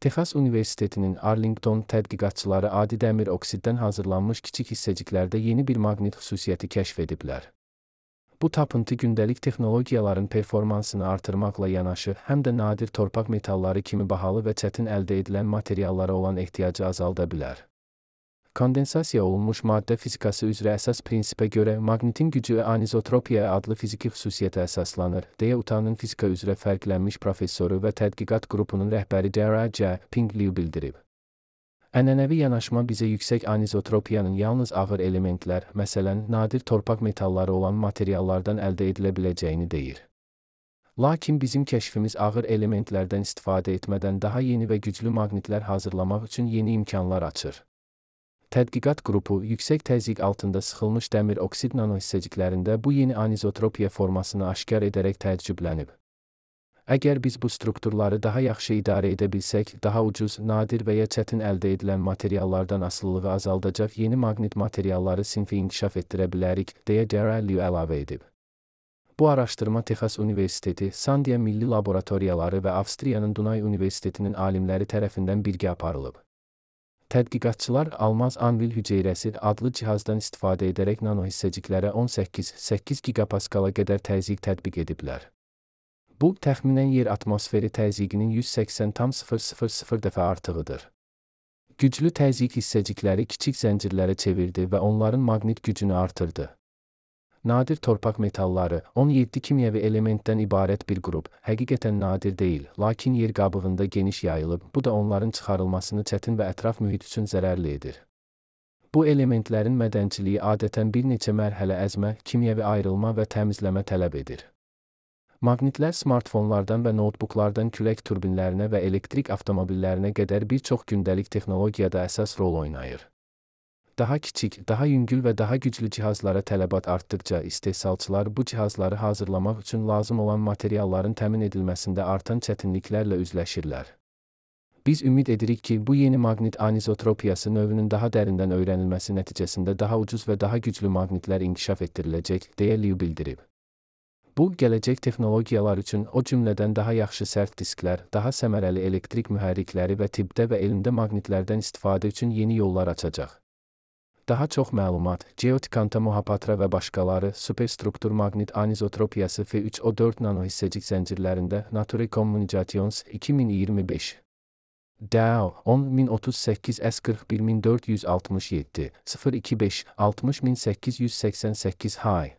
Texas Universitetinin Arlington tədqiqatçıları adi dəmir oksiddən hazırlanmış kiçik hissəciklərdə yeni bir maqnit xüsusiyyəti kəşf ediblər. Bu tapıntı gündəlik texnologiyaların performansını artırmaqla yanaşı, həm də nadir torpaq metalları kimi bahalı və çətin əldə edilən materiallara olan ehtiyacı azalda bilər. Kondensasiya olunmuş maddə fizikası üzrə əsas prinsipə görə maqnitin gücü anizotropiya adlı fiziki xüsusiyyətə əsaslanır, deyə UTAH'nın fizika üzrə fərqlənmiş professoru və tədqiqat qrupunun rəhbəri Dara J. Pingley bildirib. Ənənəvi yanaşma bizə yüksək anizotropiyanın yalnız ağır elementlər, məsələn, nadir torpaq metalları olan materiallardan əldə edilə biləcəyini deyir. Lakin bizim kəşfimiz ağır elementlərdən istifadə etmədən daha yeni və güclü maqnitlər hazırlamaq üçün yeni imkanlar açır. Tədqiqat qrupu, yüksək təzyiq altında sıxılmış dəmir oksid nanohissəciklərində bu yeni anizotropiya formasını aşkar edərək təəccüblənib. Əgər biz bu strukturları daha yaxşı idarə edə bilsək, daha ucuz, nadir və ya çətin əldə edilən materiallardan asılılığı azaldacaq yeni maqnit materialları sinfi inkişaf etdirə bilərik, deyə Dara Liu əlavə edib. Bu araşdırma Texas Universiteti, Sandia Milli Laboratoriyaları və Avstriyanın Dunay Universitetinin alimləri tərəfindən birgə aparılıb. Tədqiqatçılar almaz anvil hüceyrəsi adlı cihazdan istifadə edərək nanohissəciklərə 18-8 gigapaskala qədər təzyiq tətbiq ediblər. Bu, təxminən yer atmosferi təzyiqinin 180,000 dəfə artığıdır. Güclü təzyiq hissəcikləri kiçik zəncirlərə çevirdi və onların maqnit gücünü artırdı. Nadir torpaq metalları, 17 kimyəvi elementdən ibarət bir qrup, həqiqətən nadir deyil, lakin yer qabığında geniş yayılıb, bu da onların çıxarılmasını çətin və ətraf mühit üçün zərərli edir. Bu elementlərin mədənçiliyi adətən bir neçə mərhələ əzmə, kimyəvi ayrılma və təmizləmə tələb edir. Maqnitlər smartfonlardan və notebooklardan külək turbinlərinə və elektrik avtomobillərinə qədər bir çox gündəlik texnologiyada əsas rol oynayır. Daha kiçik, daha yüngül və daha güclü cihazlara tələbat artdıqca istehsalçılar bu cihazları hazırlamaq üçün lazım olan materialların təmin edilməsində artan çətinliklərlə üzləşirlər. Biz ümid edirik ki, bu yeni maqnit anizotropiyası növünün daha dərindən öyrənilməsi nəticəsində daha ucuz və daha güclü maqnitlər inkişaf etdiriləcək, deyə Liu bildirib. Bu, gələcək texnologiyalar üçün o cümlədən daha yaxşı sərt disklər, daha səmərəli elektrik mühərrikləri və tibbdə və elmdə maqnitlərdən istifadə üçün yeni yollar açacaq. Daha çox məlumat, Geotikanta Mohapatra və başqaları, superstruktur maqnit anizotropiyası F3O4 nanohissəcik zəncirlərində Nature Communications 2025. DAO 10038 S41467 025 60888 Hay